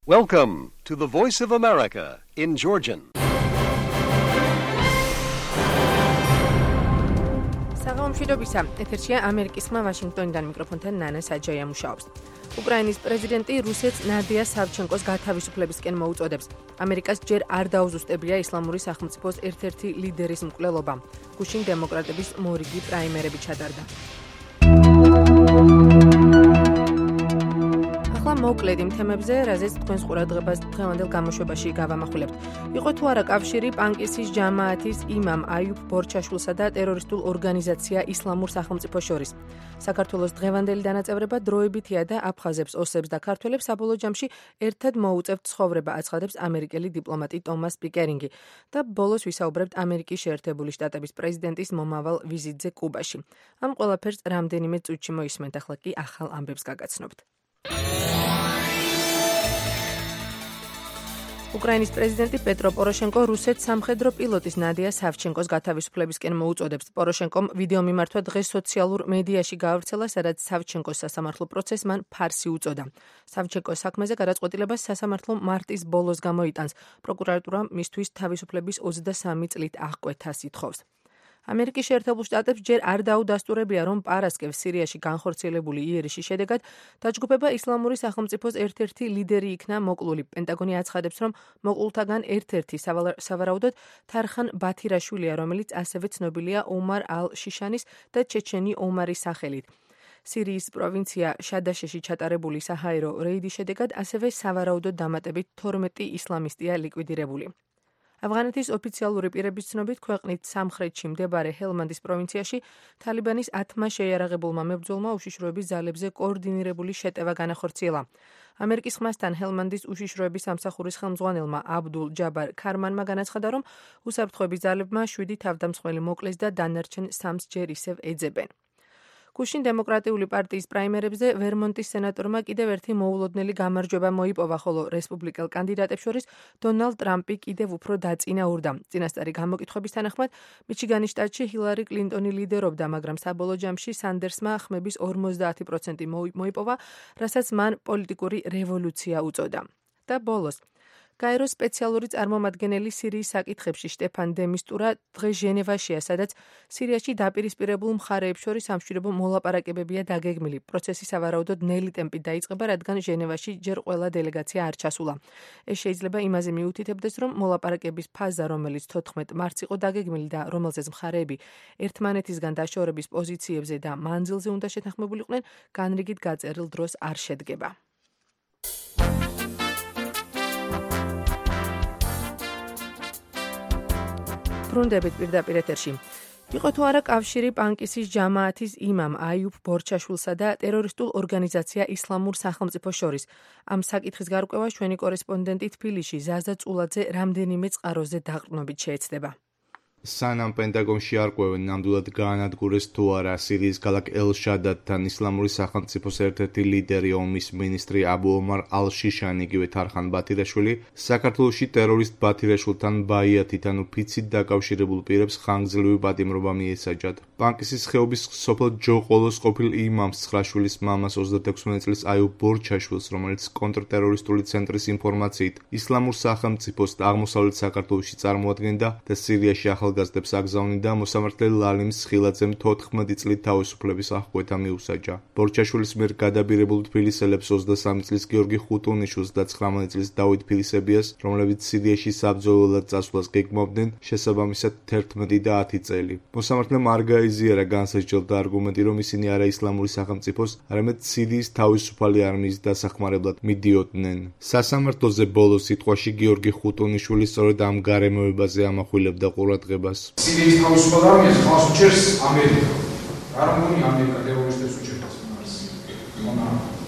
Welcome to the Voice of America in Georgian. საღამომშვიდობისა, ეთერშია ამერიკის ხმა ვაშინგტონიდან მიკროფონთან ნანა საჯაია მუშაობს. უკრაინის პრეზიდენტი რუსეთს ნადია სავჩენკოს გათავისუფლებისკენ მოუწოდებს. ამერიკას ჯერ არ დაუზუსტებია ისლამური სახელმწიფოს ერთ-ერთი ლიდერის მკვლელობა. გუშინ დემოკრატების მორიგი პრაიმერები ჩატარდა. მოკლედ იმ თემებზე, რაზეც თქვენს ყურადღებას დღევანდელ გამოშვებაში გავამახვილებთ. იყო თუ არა კავშირი პანკისის ჯამაათის იმამ აიუბ ბორჩაშვილსა და ტერორისტულ ორგანიზაცია ისლამურ სახელმწიფოს შორის. საქართველოს დღევანდელი დანაწევრება დროებითია და აფხაზებს, ოსებს და ქართველებს საბოლოო ჯამში ერთად მოუწევთ ცხოვრება, აცხადებს ამერიკელი დიპლომატი ტომას პიკერინგი. და ბოლოს ვისაუბრებთ ამერიკის შეერთებული შტატების პრეზიდენტის მომავალ ვიზიტზე კუბაში. ამ ყველაფერს რამდენიმე წუთში მოისმენთ, ახლა კი ახალ ამბებს გაგაცნობთ. უკრაინის პრეზიდენტი პეტრო პოროშენკო რუსეთს სამხედრო პილოტის ნადია სავჩენკოს გათავისუფლებისკენ მოუწოდებს. პოროშენკომ ვიდეო მიმართვა დღეს სოციალურ მედიაში გაავრცელა, სადაც სავჩენკოს სასამართლო პროცესს მან ფარსი უწოდა. სავჩენკოს საქმეზე გადაწყვეტილებას სასამართლო მარტის ბოლოს გამოიტანს. პროკურატურა მისთვის თავისუფლების 23 წლით აღკვეთას ითხოვს. ამერიკის შეერთებულ შტატებს ჯერ არ დაუდასტურებია, რომ პარასკევს სირიაში განხორციელებული იერიშის შედეგად დაჯგუფება ისლამური სახელმწიფოს ერთ-ერთი ლიდერი იქნა მოკლული. პენტაგონი აცხადებს, რომ მოკლულთაგან ერთ-ერთი სავარაუდოდ თარხან ბათირაშვილია, რომელიც ასევე ცნობილია ომარ ალ-შიშანის და ჩეჩენი ომარის სახელით. სირიის პროვინცია შადაშეში ჩატარებული საჰაერო რეიდის შედეგად ასევე სავარაუდოდ დამატებით 12 ისლამისტია ლიკვიდირებული. ავღანეთის ოფიციალური პირების ცნობით, ქვეყნით სამხრეთში მდებარე ჰელმანდის პროვინციაში თალიბანის 10-მა შეიარაღებულმა მებრძოლმა უშიშროების ძალებზე კოორდინირებული შეტევა განახორციელა. ამერიკის ხმასთან ჰელმანდის უშიშროების სამსახურის ხელმძღვანელმა აბდულ ჯაბარ ქარმანმა განაცხადა, რომ უსაფრთხოების ძალებმა 7 თავდამსხმელი მოკლეს და დანარჩენ 3-ს ჯერ ისევ ეძებენ. გუშინ დემოკრატიული პარტიის პრაიმერებზე ვერმონტის სენატორმა კიდევ ერთი მოულოდნელი გამარჯვება მოიპოვა, ხოლო რესპუბლიკელ კანდიდატებს შორის დონალდ ტრამპი კიდევ უფრო დაწინაურდა. წინასწარი გამოკითხვების თანახმად, მიჩიგანის შტატში ჰილარი კლინტონი ლიდერობდა, მაგრამ საბოლოო ჯამში სანდერსმა ხმების 50% მოიპოვა, რასაც მან პოლიტიკური რევოლუცია უწოდა. და ბოლოს გაეროს სპეციალური წარმომადგენელი სირიის საკითხებში შტეფან დე მისტურა დღეს ჟენევაშია, სადაც სირიაში დაპირისპირებულ მხარეებს შორის სამშვიდობო მოლაპარაკებებია დაგეგმილი. პროცესი სავარაუდოდ ნელი ტემპით დაიწყება, რადგან ჟენევაში ჯერ ყველა დელეგაცია არ ჩასულა. ეს შეიძლება იმაზე მიუთითებდეს, რომ მოლაპარაკების ფაზა, რომელიც 14 მარტს იყო დაგეგმილი და რომელზეც მხარეები ერთმანეთისგან დაშორების პოზიციებზე და მანძილზე უნდა შეთანხმებულიყვნენ, განრიგით გაწერილ დროს არ შედგება. ბრუნდებით პირდაპირ ეთერში. იყო თუ არა კავშირი პანკისის ჯამაათის იმამ აიუბ ბორჩაშვილსა და ტერორისტულ ორგანიზაცია ისლამურ სახელმწიფოს შორის. ამ საკითხის გარკვევა ჩვენი კორესპონდენტი თბილისში ზაზა წულაძე რამდენიმე წყაროზე დაყრდნობით შეეცდება. სანამ პენტაგონში არ ყვევენ, ნამდვილად გაანადგურეს თუ არა სირიის ქალაქ ელ-შადადთან ისლამური სახელმწიფოს ერთ-ერთი ლიდერი, ომის მინისტრი აბუ ომარ ალ-შიშანი, იგივე თარხან ბათირაშვილი, საქართველოში ტერორისტ ბათირაშვილთან ბაიათით, ანუ ფიცით დაკავშირებულ პირებს ხანგრძლივი პატიმრობა მიესაჯათ. პანკისის ხეობის სოფელ ჯოყოლოს ყოფილ იმამს ცხრაშვილის მამას 36 წლის აიუბ ბორჩაშვილს, რომელიც კონტრტერორისტული ცენტრის ინფორმაციით ისლამურ სახელმწიფოს და აღმოსავლეთ საქართველოში წარმოადგენდა და სირიაში ახალგაზრდებს აგზავნიდა, მოსამართლე ლალიმ სხილაძემ 14 წლით თავისუფლების აღკვეთა მიუსაჯა. ბორჩაშვილის მიერ გადაბირებულ თბილისელებს 23 წლის გიორგი ხუტუნიშვილს და 19 წლის დავით ფილისებიას, რომლებიც სირიაში საბრძოლველად წასვლას გეგმავდნენ, შესაბამისად 11 და 10 წელი. მოსამართლემ არ გაიზიარა განსაჯდელთა არგუმენტი, რომ ისინი არა ისლამური სახელმწიფოს, არამედ სირიის თავისუფალი არმიის დასახმარებლად მიდიოდნენ. სასამართლოზე ბოლოს სიტყვაში გიორგი ხუტუნიშვილი სწორედ ამ გარემოებაზე ამახვილებდა ყურადღებას. სირიის თავისუფალ არმიას ხალხს უჭერს ამერიკა. არ მგონი ამერიკა ტერორისტებს უჭერს მას.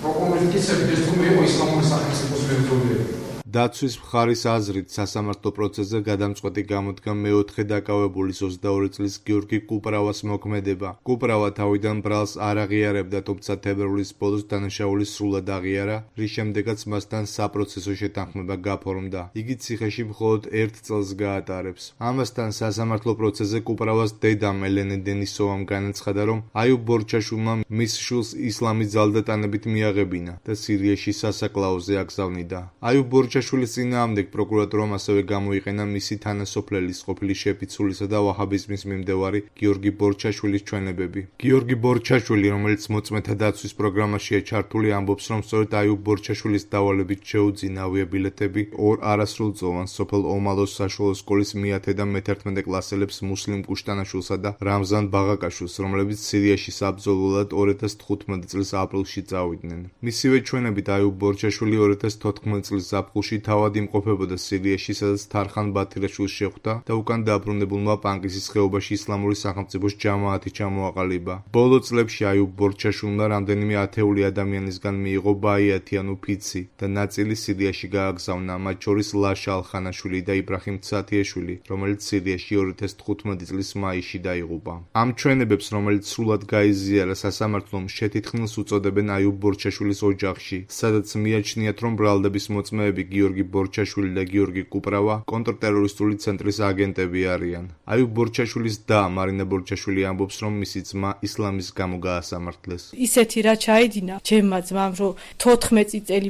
პროკურორი კიცები ეს თუ იყო ისლამური სახელმწიფოს მებრძოლები. დაცვის მხარის აზრით სასამართლო პროცესზე გადამწყვეტი გამოდგა მეოთხე დაკავებულის 22 წლის გიორგი კუპრავას მოქმედება. კუპრავა თავიდან ბრალს არ აღიარებდა, თუმცა თებერვლის ბოლოს დანაშაული სრულად აღიარა, რის შემდეგაც მასთან საპროცესო შეთანხმება გაფორმდა. იგი ციხეში მხოლოდ 1 წელს გაატარებს. ამასთან სასამართლო პროცესზე კუპრავას დედამ ელენე დენისოვამ განაცხადა, რომ აიუბ ბორჩაშვილმა მის შვილს ისლამის ძალდატანებით მიაღებინა და სირიაში სასაკლაოზე აგზავნიდა. აიუბ ბორჩაშვილის წინააღმდეგ პროკურატურამ ასევე გამოიყენა მისი თანასოფლელის ყოფილი შეფიცულისა და ვაჰაბიზმის მიმდევარი გიორგი ბორჩაშვილის ჩვენებები. გიორგი ბორჩაშვილი, რომელიც მოწმეთა დაცვის პროგრამაშია ჩართული, ამბობს, რომ სწორედ აიუბ ბორჩაშვილის დავალებით შეუძინა ავიაბილეთები 2 არასრულწლოვან სოფელ ომალოს საშუალო სკოლის მე-10 და მე-11 კლასელებს მუსლიმ კუშტანაშვილსა და რამზან ბაღაკაშვილს, რომლებიც სირიაში საბრძოლველად 2015 წლის აპრილში წავიდნენ. მისივე ჩვენებით აიუბ ბორჩაშვილი 2014 წლის ზაფხულში თავად იმყოფებოდა სირიაში, სადაც თარხან ბათირაშვილს შეხვდა და უკან დაბრუნებულმა პანკისის ხეობაში ისლამური სახელმწიფოს ჯამაათი ჩამოაყალიბა. ბოლო წლებში აიუბ ბორჩაშვილმა რამდენიმე ათეული ადამიანისგან მიიღო ბაიათიანუ ფიცი და ნაწილი სირიაში გააგზავნა, მათ შორის ლაშა ალხანაშვილი და იბრაჰიმ ცათიაშვილი, რომელიც სირიაში 2015 წლის მაისში დაიღუპა. ამ ჩვენებებს, რომელიც სრულად გაიზიარა სასამართლომ, შეთითხილს უწოდებენ აიუბ ბორჩაშვილის ოჯახში, სადაც მიაჩნიათ, რომ ბრალდების მოწმეები გიორგი ბორჩაშვილი და გიორგი კუპრავა კონტრტერორისტული ცენტრის აგენტები არიან. აიუბ ბორჩაშვილის და მარინა ბორჩაშვილი ამბობს, რომ მისი ძმა ისლამის გამო გაასამართლეს. ისეთი რა ჩაიდინა ჩემმა ძმამ, რომ 14 წელი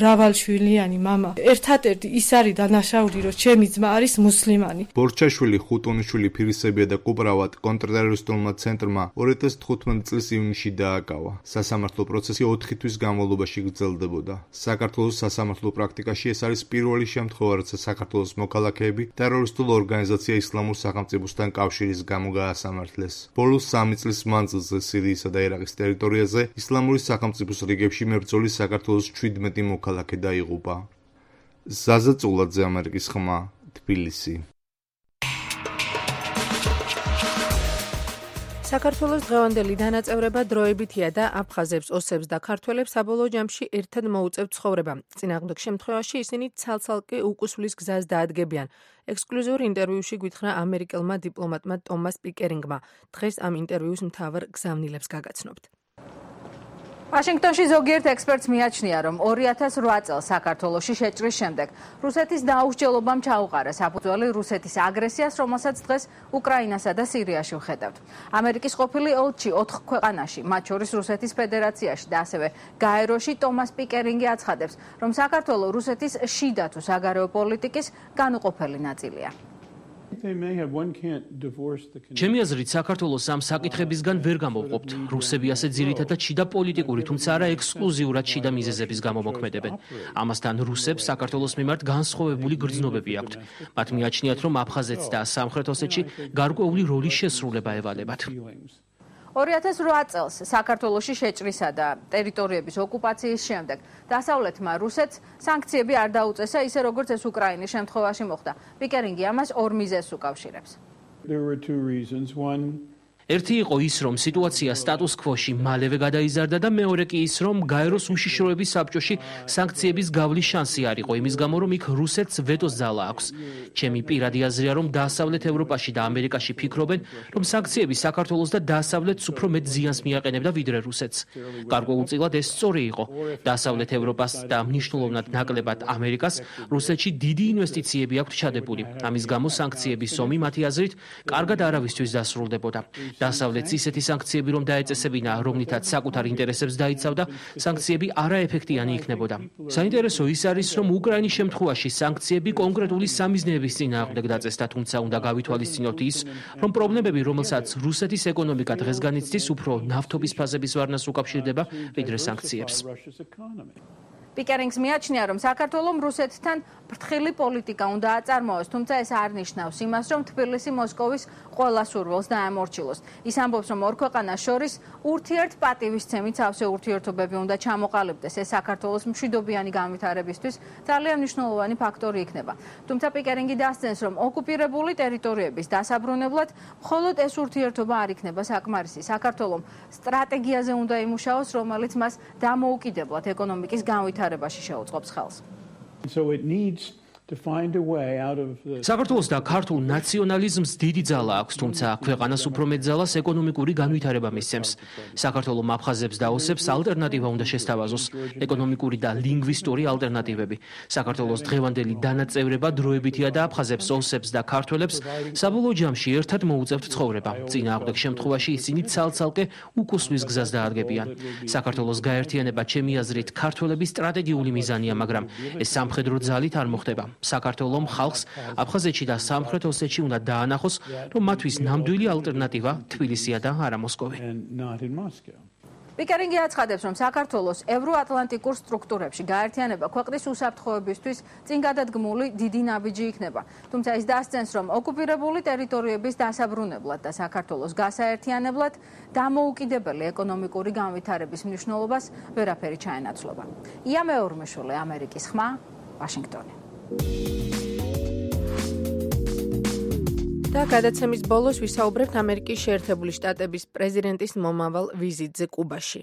მრავალშვილიანი მამა ერთადერთი ის არის დანაშაული, რომ ჩემი ძმა არის მუსლიმანი. ბორჩაშვილი, ხუტუნიშვილი, ფირისებია და კუპრავად კონტრტერორისტულმა ცენტრმა 2015 წლის ივნისში დააკავა. სასამართლო პროცესი 4 თვის განმავლობაში გრძელდებოდა. საქართველოს სასამართლო პრაქტიკაში ეს არის პირველი შემთხვევა, როცა საქართველოს მოქალაქეები ტერორისტულ ორგანიზაცია ისლამურ სახელმწიფოსთან კავშირის გამო გაასამართლეს. ბოლოს 3 წლის მანძილზე სირიისა და ერაყის ტერიტორიაზე ისლამური სახელმწიფოს რიგებში მებრძოლი საქართველოს 17 მოქალაქე დაიღუპა. ზაზა წულაძე, ამერიკის ხმა, თბილისი. საქართველოს დღევანდელი დანაწევრება დროებითია და აფხაზებს, ოსებს და ქართველებს საბოლოო ჯამში ერთად მოუწევთ ცხოვრება. წინააღმდეგ შემთხვევაში ისინი ცალ-ცალკე უკუსვლის გზას დაადგებიან. ექსკლუზიურ ინტერვიუში გვითხრა ამერიკელმა დიპლომატმა ტომას პიკერინგმა. დღეს ამ ინტერვიუს მთავარ გზავნილებს გაგაცნობთ. ვაშინგტონში ზოგიერთ ექსპერტს მიაჩნია, რომ 2008 წელს საქართველოში შეჭრის შემდეგ რუსეთის დაუსჯელობამ ჩაუყარა საფუძველი რუსეთის აგრესიას, რომელსაც დღეს უკრაინასა და სირიაში ვხედავთ. ამერიკის ყოფილი ელჩი 4 ქვეყანაში, მათ შორის რუსეთის ფედერაციაში და ასევე გაეროში ტომას პიკერინგი აცხადებს, რომ საქართველო რუსეთის შიდა თუ საგარეო პოლიტიკის განუყოფელი ნაწილია. ჩემი აზრით, საქართველოს ამ საკითხებისგან ვერ გამოვყოფთ. რუსები ასე ძირითადად შიდა პოლიტიკური, თუმცა არა ექსკლუზიურად შიდა მიზეზების გამო მოქმედებენ. ამასთან რუსებს საქართველოს მიმართ განსხვავებული გრძნობები აქვთ. მათ მიაჩნიათ, რომ აფხაზეთს და სამხრეთ ოსეთში გარკვეული როლის შესრულება ევალებათ. 2008 წელს საქართველოში შეჭრისა და ტერიტორიების ოკუპაციის შემდეგ დასავლეთმა რუსეთს სანქციები არ დაუწესა, ისე როგორც ეს უკრაინის შემთხვევაში მოხდა. პიკერინგი ამას 2 მიზეზს უკავშირებს. ერთი იყო ის, რომ სიტუაცია სტატუს კვოში მალევე გადაიზარდა და მეორე კი ის, რომ გაეროს უშიშროების საბჭოში სანქციების გავლის შანსი არ იყო, იმის გამო, რომ იქ რუსეთს ვეტოს ძალა აქვს. ჩემი პირადი აზრია, რომ დასავლეთ ევროპაში და ამერიკაში ფიქრობენ, რომ სანქციები საქართველოს და დასავლეთს უფრო მეტ ზიანს მიაყენებდა ვიდრე რუსეთს. გარკვეულწილად ეს სწორი იყო. დასავლეთ ევროპას და მნიშვნელოვნად ნაკლებად ამერიკას რუსეთში დიდი ინვესტიციები აქვთ ჩადებული. ამის გამო სანქციების ომი მათი აზრით კარგად არავისთვის დასრულდებოდა. დასავლეთს ისეთი სანქციები რომ დაეწესებინა, რომლითაც საკუთარ ინტერესებს დაიცავდა, სანქციები არაეფექტიანი იქნებოდა. საინტერესო ის არის, რომ უკრაინის შემთხვევაში სანქციები კონკრეტული სამიზნეების წინააღმდეგ დაწესდა, თუმცა უნდა გავითვალისწინოთ ის, რომ პრობლემები, რომელსაც რუსეთის ეკონომიკა დღეს განიცდის, უფრო ნავთობის ფაზების ვარნას უკავშირდება, ვიდრე სანქციებს. პიკერინგს მიაჩნია, რომ საქართველომ რუსეთთან ფრთხილი პოლიტიკა უნდა აწარმოოს, თუმცა ეს არ ნიშნავს იმას, რომ თბილისი მოსკოვის ყველა სურვილს დაემორჩილოს. ის ამბობს, რომ ორ ქვეყანას შორის ურთიერთპატივისცემით სავსე ურთიერთობები უნდა ჩამოყალიბდეს. ეს საქართველოს მშვიდობიანი განვითარებისთვის ძალიან მნიშვნელოვანი ფაქტორი იქნება. თუმცა პიკერინგი დასძენს, რომ ოკუპირებული ტერიტორიების დასაბრუნებლად მხოლოდ ეს ურთიერთობა არ იქნება საკმარისი. საქართველომ სტრატეგიაზე უნდა იმუშაოს, რომელიც მას დამოუკიდებლად ეკონომიკის განვითარებაში შეუწყობს ხელს. So it needs to find a way out of the საქართველოს და ქართულ ნაციონალიზმს დიდი ძალა აქვს, თუმცა ქვეყანას უფრო მეტ ძალას ეკონომიკური განვითარება მისცემს. საქართველოს აფხაზებს და ოსებს ალტერნატივა უნდა შესთავაზოს, ეკონომიკური და ლინგვისტური ალტერნატივები. საქართველოს დღევანდელი დანაწევრება დროებითია და აფხაზებს, ოსებს და ქართველებს საბოლოო ჯამში ერთად მოუწევთ ცხოვრება. წინააღმდეგ შემთხვევაში ისინი ცალ-ცალკე უკუსვის გზას დაადგებიან. საქართველოს გაერთიანება ჩემი აზრით ქართველების სტრატეგიული მიზანია, მაგრამ ეს სამხედრო ძალით არ მოხდება. საქართველოს ხალხს აფხაზეთში და სამხრეთ ოსეთში უნდა დაანახოს, რომ მათთვის ნამდვილი ალტერნატივა თბილისია და არა მოსკოვი. პიკერინგი აცხადებს, რომ საქართველოს ევროატლანტიკურ სტრუქტურებში გაერთიანება ქვეყნის უსაფრთხოებისთვის წინგადადგმული დიდი ნაბიჯი იქნება. თუმცა ის დასცენს, რომ ოკუპირებული ტერიტორიების დასაბრუნებლად და საქართველოს გასაერთიანებლად დამოუკიდებელი ეკონომიკური განვითარების მნიშვნელობას ვერაფერი ჩაენაცვლება. ია მეორმეშულე, ამერიკის ხმა, ვაშინგტონი. და გადაცემის ბოლოს ვისაუბრებთ ამერიკის შეერთებული შტატების პრეზიდენტის მომავალ ვიზიტზე კუბაში.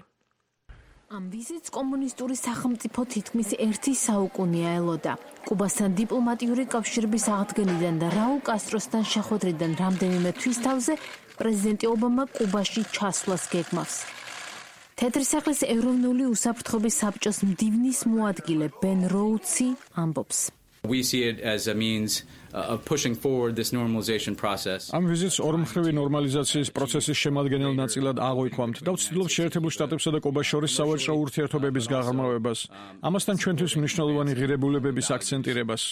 ამ ვიზიტს კომუნისტური სახელმწიფო თითქმის 1 საუკუნეა ელოდა. კუბასთან დიპლომატიური კავშირების აღდგენიდან და რაულ კასტროსთან შეხვედრიდან რამდენიმე თვის თავზე პრეზიდენტი ობამა კუბაში ჩასვლას გეგმავს. თეთრი სახლის ეროვნული უსაფრთხოების საბჭოს მდივნის მოადგილე ბენ როუდსი ამბობს. We see it as a means of pushing forward this normalization process. ამ ვიზიტს ორმხრივი ნორმალიზაციის პროცესის შემადგენელ ნაწილად აღვიქვამთ და ვცდილობთ შეერთებულ შტატებსა და კუბას შორის სავაჭრო ურთიერთობების გაღრმავებას. ამასთან ჩვენთვის მნიშვნელოვანი ღირებულებების აქცენტირებას.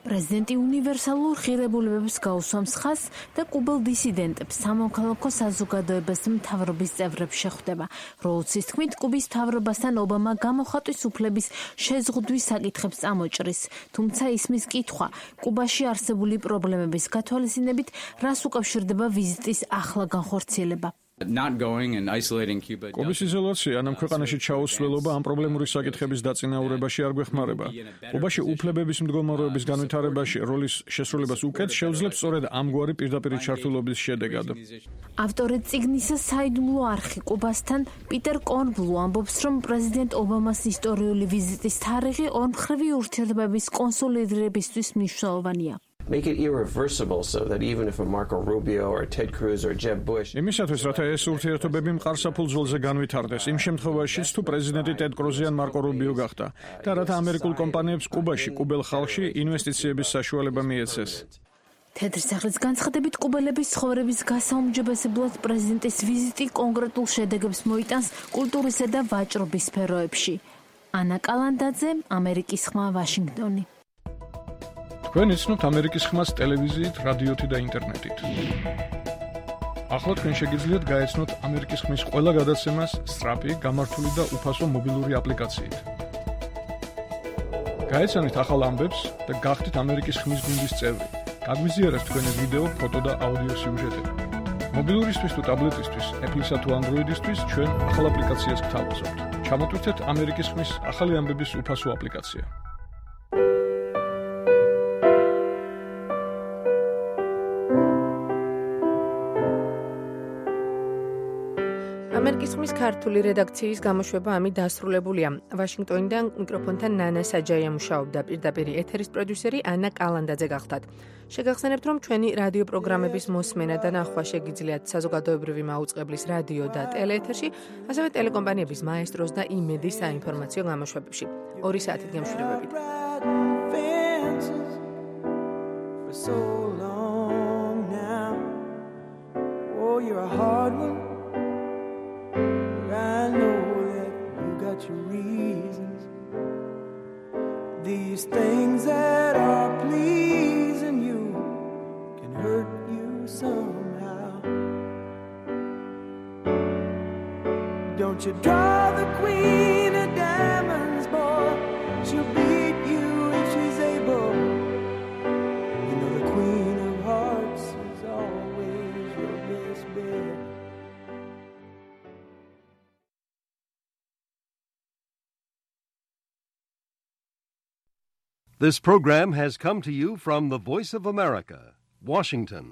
პრეზიდენტი უნივერსალურ ღირებულებებს გაუსვამს ხაზს და კუბელ დისიდენტებს სამოქალაქო საზოგადოებას მთავრობის წევრებს შეხვდება. როუდსის თქმით, კუბის მთავრობასთან ობამა გამოხატვის უფლების შეზღუდვის საკითხებს წამოჭრის, თუმცა ისმის კითხვა კუბაში არსებული პრობლემების გათვალისწინებით, რას უკავშირდება ვიზიტის ახლა განხორციელება. Not going and isolating Cuba. კუბის იზოლაცია ამ ქვეყანაში ჩაუსვლელობა ამ პრობლემური საკითხების დაწინაურებაში არ გვეხმარება. კუბაში უფლებების მდგომარეობის განვითარებაში როლის შესრულებას უკეთ შეუძლებს სწორედ ამგვარი პირდაპირი ჩართულობის შედეგად. ავტორი წიგნისა საიდუმლო არხი კუბასთან პიტერ კორნბლუ ამბობს, რომ პრეზიდენტ ობამას ისტორიული ვიზიტის თარიღი ორმხრივი ურთიერთობების კონსოლიდირებისთვის მნიშვნელოვანია. Make it irreversible so that even if a Marco Rubio or Ted Cruz or Jeb Bush იმისათვის რათა ეს ურთიერთობები მყარსაფულ ძველზე განვითარდეს იმ შემთხვევაშიც თუ პრეზიდენტი ტედ კრუზი ან მარკო რუბიო გახდა და რათა ამერიკულ კომპანიებს კუბაში კუბელ ხალხში ინვესტიციების საშუალება მიეცეს. თეთრი სახლის განცხადებით კუბელების ცხოვრების გასაუმჯობესებლად პრეზიდენტის ვიზიტი კონკრეტულ შედეგებს მოიტანს კულტურისა და ვაჭრობის სფეროებში. ანა კალანდაძე, ამერიკის ხმა, ვაშინგტონი. თქვენ იცნობთ ამერიკის ხმას ტელევიზიით, რადიოთი და ინტერნეტით. ახლა თქვენ შეგიძლიათ გაეცნოთ ამერიკის ხმის ყველა გადაცემას სწრაფი, გამართული და უფასო მობილური აპლიკაციით. გაეცანით ახალ ამბებს და გახდით ამერიკის ხმის გუნდის წევრი. გაგვიზიარეთ თქვენი ვიდეო, ფოტო და აუდიო სიუჟეტები. მობილურისთვის თუ ტაბლეტისთვის, Apple-ისა თუ Android-ისთვის ჩვენ ახალ აპლიკაციას გთავაზობთ. ჩამოტვირთეთ ამერიკის ხმის ახალი ამბების უფასო აპლიკაცია. ამერიკის ხმის ქართული რედაქციის გამოშვება ამით დასრულებულია. ვაშინგტონიდან მიკროფონთან ნანა საჯაია მუშაობდა, პირდაპირ ეთერის პროდიუსერი ანა კალანდაძე გახდათ. შეგახსენებთ, რომ ჩვენი რადიო პროგრამების მოსმენა და ნახვა შეგიძლიათ საზოგადოებრივი მაუწყებლის რადიო და ტელეეთერში, ასევე ტელეკომპანიების მაესტროს და იმედის საინფორმაციო გამოშვებებში. 2 საათით გემშვიდობებით. I know that you got your reasons. These things that are pleasing you can hurt you somehow. Don't you draw the queen of diamonds, boy. She'll beat you if she's able. You know the queen of hearts is always your best bet. This program has come to you from the Voice of America, Washington.